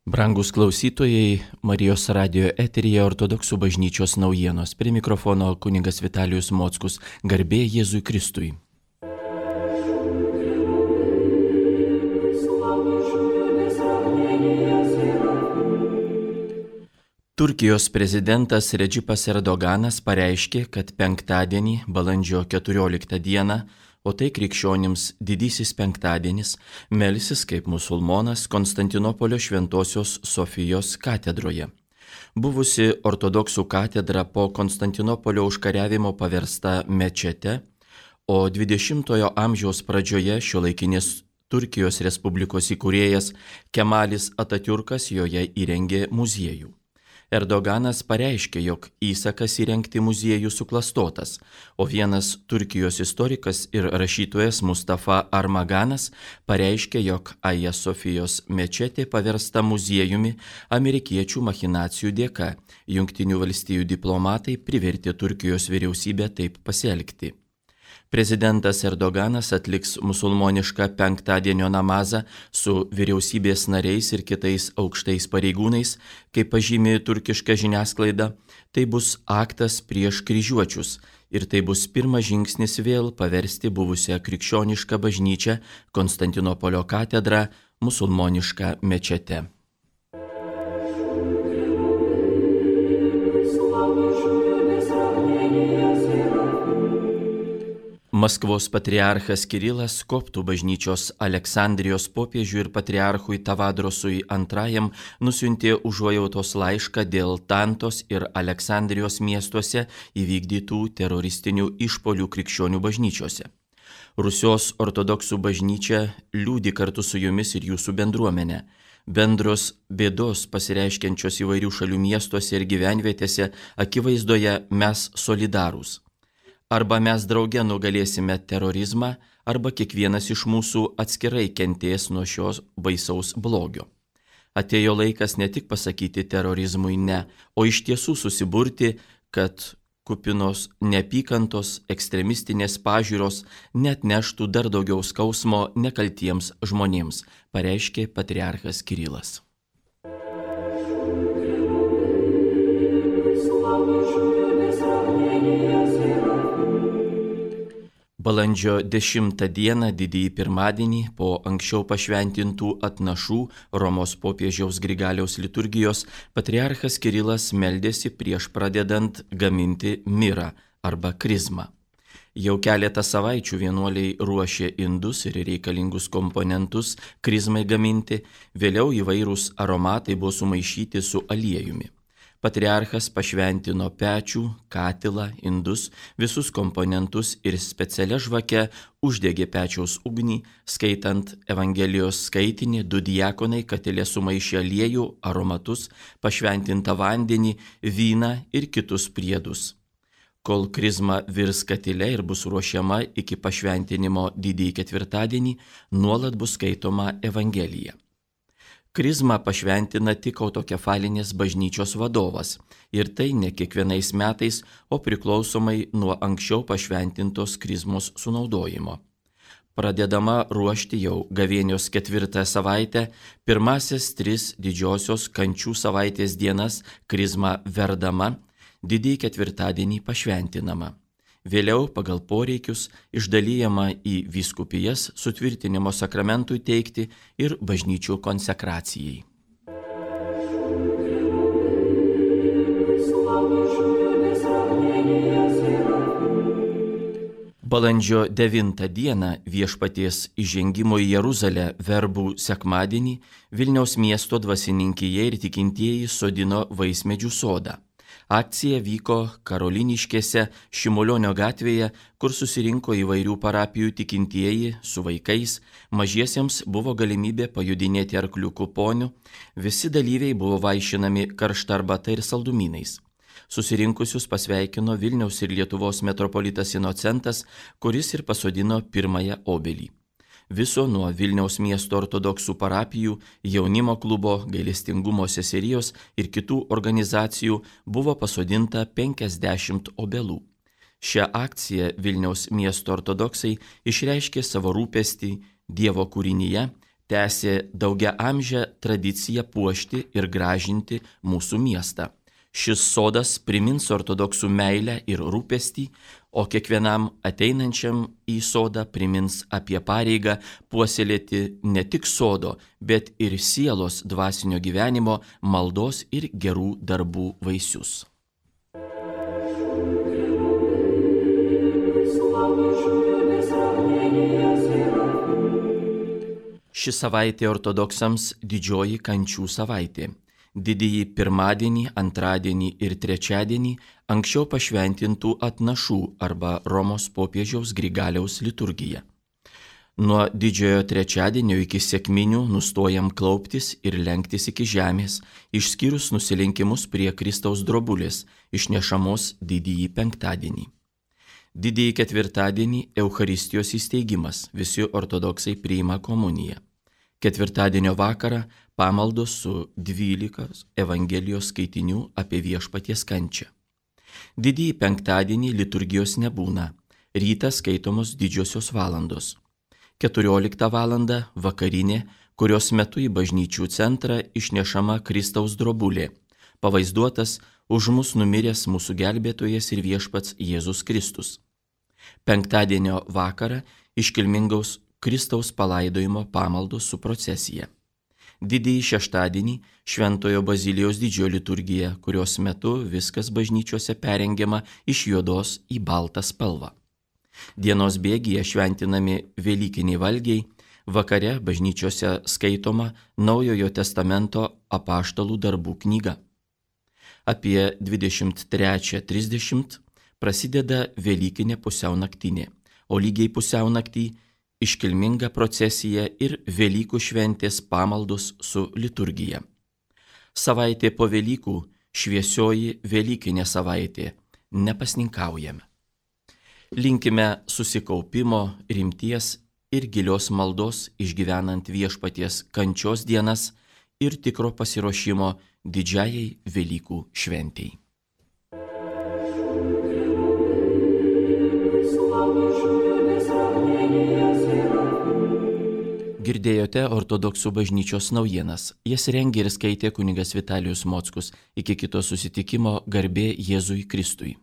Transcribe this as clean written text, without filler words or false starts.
Brangus klausytojai, Marijos radijo eteryje Ortodoksų bažnyčios naujienos. Prie mikrofono kunigas Vitalijus Mockus. Garbė Jėzui Kristui. Turkijos prezidentas Redžipas Erdoganas pareiškė, kad penktadienį, balandžio 14 dieną, o tai krikščionims didysis penktadienis, melsis kaip musulmonas Konstantinopolio Šventosios Sofijos katedroje. Buvusi ortodoksų katedra po Konstantinopolio užkariavimo paversta mečete, o 20-ojo amžiaus pradžioje šiuolaikinės Turkijos Respublikos įkūrėjas Kemalis Atatiurkas joje įrengė muziejų. Erdoganas pareiškė, jog įsakas įrengti muziejų suklastotas, o vienas Turkijos istorikas ir rašytojas Mustafa Armaganas pareiškė, jog Aja Sofijos mečetė paversta muziejumi amerikiečių machinacijų dėka. Jungtinių valstijų diplomatai privertė Turkijos vyriausybę taip pasielgti. Prezidentas Erdoganas atliks musulmonišką penktadienio namazą su vyriausybės nariais ir kitais aukštais pareigūnais, kaip pažymi turkiška žiniasklaida. Tai bus aktas prieš kryžiuočius ir tai bus pirmas žingsnis vėl paversti buvusią krikščionišką bažnyčią Konstantinopolio katedrą musulmonišką mečete. Maskvos patriarchas Kirilas koptų bažnyčios Aleksandrijos popiežiui ir patriarchui Tavadrosui II nusiuntė užuojautos laišką dėl Tantos ir Aleksandrijos miestuose įvykdytų teroristinių išpuolių krikščionių bažnyčiose. Rusios ortodoksų bažnyčia liūdi kartu su jumis ir jūsų bendruomenė. Bendros bėdos pasireiškiančios įvairių šalių miestuose ir gyvenvietėse akivaizdoje mes solidarūs. Arba mes drauge nugalėsime terorizmą, arba kiekvienas iš mūsų atskirai kentės nuo šios baisaus blogio. Atėjo laikas ne tik pasakyti terorizmui ne, o iš tiesų susiburti, kad kupinos neapykantos ekstremistinės pažiūros net neštų dar daugiau skausmo nekaltiems žmonėms, pareiškė patriarchas Kirilas. Balandžio 10 dieną, didįjį pirmadienį, po anksčiau pašventintų atnašų Romos popiežiaus Grigaliaus liturgijos, patriarchas Kirilas meldėsi prieš pradedant gaminti mirą arba krizmą. Jau keletą savaičių vienuoliai ruošė indus ir reikalingus komponentus krizmai gaminti, vėliau įvairūs aromatai buvo sumaišyti su aliejumi. Patriarchas pašventino pečių, katilą, indus, visus komponentus ir specialia žvake uždegė pečiaus ugnį, skaitant Evangelijos skaitinį, 2 diakonai katile sumaišė aliejų, aromatus, pašventintą vandenį, vyną ir kitus priedus. Kol krizma virs katile ir bus ruošiama iki pašventinimo didįjį ketvirtadienį, nuolat bus skaitoma Evangelija. Krizmą pašventina tik autokefalinės bažnyčios vadovas ir tai ne kiekvienais metais, o priklausomai nuo anksčiau pašventintos krizmos sunaudojimo. Pradedama ruošti jau gavėnios 4 savaitę, pirmasias 3 didžiosios kančių savaitės dienas krizma verdama, didįjį ketvirtadienį pašventinama. Vėliau pagal poreikius išdalijama į vyskupijas sutvirtinimo sakramentui teikti ir bažnyčių konsekracijai. Balandžio 9 dieną viešpaties įžengimo į Jeruzalę verbų sekmadienį Vilniaus miesto dvasininkija ir tikintieji sodino vaismedžių sodą. Akcija vyko Karoliniškėse, Šimulionio gatvėje, kur susirinko įvairių parapijų tikintieji su vaikais, mažiesiems buvo galimybė pajudinėti arkliukų ponių, visi dalyviai buvo vaišinami karšta arbata ir saldumynais. Susirinkusius pasveikino Vilniaus ir Lietuvos metropolitas Inocentas, kuris ir pasodino pirmąją obelį. Viso nuo Vilniaus miesto ortodoksų parapijų, jaunimo klubo, gailestingumo seserijos ir kitų organizacijų buvo pasodinta 50 obelų. Šią akciją Vilniaus miesto ortodoksai išreiškė savo rūpestį Dievo kūrinyje, tęsė daugiaamžę tradiciją puošti ir gražinti mūsų miestą. Šis sodas primins ortodoksų meilę ir rūpestį, o kiekvienam ateinančiam į sodą primins apie pareigą puoselėti ne tik sodo, bet ir sielos dvasinio gyvenimo, maldos ir gerų darbų vaisius. Ši savaitė ortodoksams didžioji kančių savaitė. Didįjį pirmadienį, antradienį ir trečiadienį anksčiau pašventintų atnašų arba Romos popiežiaus Grigaliaus liturgija. Nuo didžiojo trečiadienio iki sekminių nustojam klauptis ir lenktis iki žemės, išskyrus nusilenkimus prie Kristaus drobulės, išnešamos didįjį penktadienį. Didįjį ketvirtadienį Eucharistijos įsteigimas, visi ortodoksai priima komuniją. Ketvirtadienio vakarą pamaldos su 12 Evangelijos skaitinių apie Viešpaties kančią. Didįjį penktadienį liturgijos nebūna, rytą skaitomos didžiosios valandos. 14 valandą vakarinė, kurios metu į bažnyčių centrą išnešama Kristaus drobulė, pavaizduotas už mus numiręs mūsų gelbėtojas ir Viešpats Jėzus Kristus. Penktadienio vakarą iškilmingaus Kristaus palaidojimo pamaldos su procesija. Didįjį šeštadienį Šventojo Bazilijos didžiojo liturgija, kurios metu viskas bažnyčiose perengiama iš juodos į baltą spalvą. Dienos bėgyje šventinami velykiniai valgiai, vakare bažnyčiose skaitoma Naujojo testamento apaštalų darbų knyga. Apie 23:30 prasideda velykinė pusiaunaktinė, o lygiai pusiaunaktį iškilminga procesija ir Velykų šventės pamaldos su liturgija. Savaitė po Velykų šviesioji velykinė savaitė, nepasninkaujame. Linkime susikaupimo, rimties ir gilios maldos išgyvenant Viešpaties kančios dienas ir tikro pasiruošimo didžiajai Velykų šventei. Girdėjote ortodoksų bažnyčios naujienas. Jas rengė ir skaitė kunigas Vitalijus Mockus. Iki kito susitikimo, garbė Jėzui Kristui.